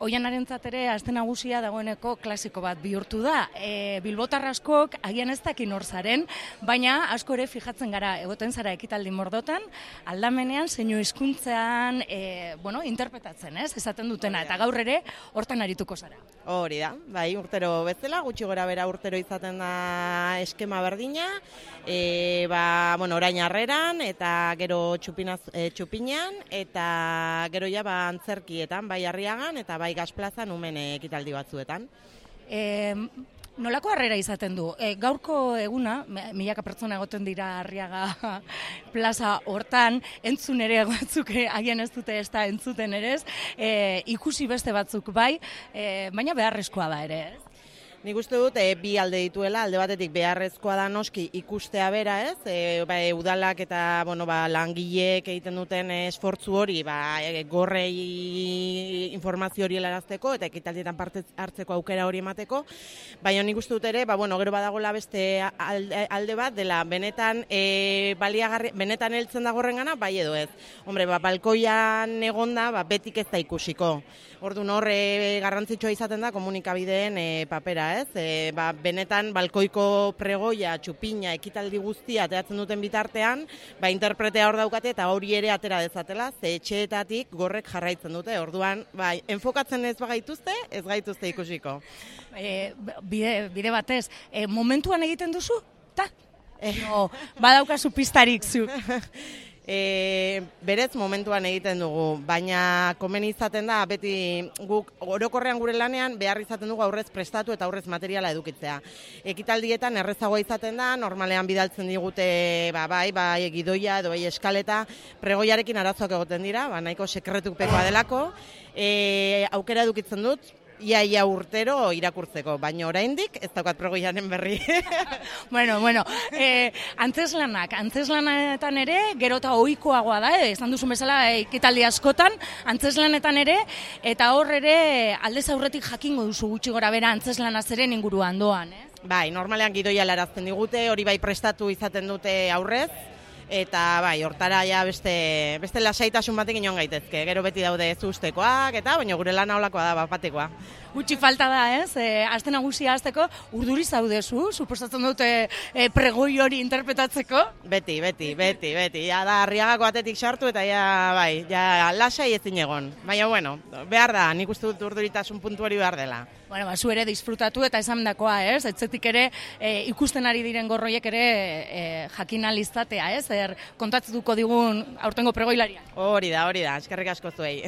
Oianarentzat ere aste nagusia dagoeneko klasiko bat bihurtu da. Bilbotar askok agian ez dakin hor zaren, baina asko ere fijatzen gara egoten zara ekitaldi mordotan, aldamenean zeinu hizkuntzean interpretatzen, ez? Esaten dutena eta gaur ere hortan arituko zara. Hori da, bai, urtero bezala, gutxi gora bera urtero izaten da eskema berdina, orain harreran eta gero txupinean eta gero ja antzerkietan, bai Arriagan eta bai Gazplazan umen ekitaldi batzuetan. Nolako harrera izaten du? Gaurko eguna, milaka pertsona egoten dira Arriaga plaza hortan, entzun ere batzuk agian ez dute ez da entzuten ere ez, ikusi beste batzuk bai, baina beharrezkoa da ere ez? Nik uste dut bi alde dituela, alde batetik beharrezkoa da noski ikustea bera, ez? Udalak eta langileek egiten duten esfortzu hori, gorrei informazio hori helarazteko eta ekitaldietan parte hartzeko aukera hori emateko, baina nik uste dut ere, gero badagoela beste alde bat dela benetan benetan heltzen da gorrengana, bai edo ez. Hombre, balkoian egonda, betik ez da ikusiko. Orduan hor garrantzitsua izaten da komunikabideen papera, ez? Benetan balkoiko pregoia, txupina, ekitaldi guztia ateratzen duten bitartean, interpretea hor daukate eta hori ere atera dezatela, ze etxeetatik gorrek jarraitzen dute. Orduan, enfokatzen ez bagaituzte, ez gaituzte ikusiko. Bide batez, momentuan egiten duzu? Badaukazu pistarik zu. Berez momentuan egiten dugu, baina komeni izaten da, beti guk orokorrean gure lanean behar izaten dugu aurrez prestatu eta aurrez materiala edukitzea. Ekitaldietan errezagoa izaten da, normalean bidaltzen digute gidoia edo eskaleta, pregoiarekin arazoak egoten dira, nahiko sekretupekoa delako, aukera edukitzen dut, ia urtero irakurtzeko, baina oraindik ez daukat pregoiaren berri. Antzeslanetan ere, gero eta ohikoagoa da, esan duzun bezala ekitaldi askotan, antzeslanetan ere, eta hor ere aldez aurretik jakingo duzu gutxi gora bera antzeslanaz ere inguruan doan, eh? Bai, normalean gidoia helarazten digute, hori prestatu izaten dute aurrez, eta hortara ja beste lasaitasun batekin joan gaitezke. Gero beti daude ez ustekoak, baina gure lana holakoa da, batekoa. Gutxi falta da, ez? Aste nagusia hasteko urduri zaudezu, suposatzen dute pregoi hori interpretatzeko? Beti. Ja da Arriagako batetik sartu eta ja lasai ezin egon. Baina, behar da, nik uste dut urduritasun puntu hori behar dela. Zu ere disfrutatu eta esandakoa, ez? Etzetik ere ikusten ari diren gorroiek ere jakin ahal izatea, ez? Kontatzen duko digun aurtengo pregoilaria. Hori da, eskerrik asko zuei.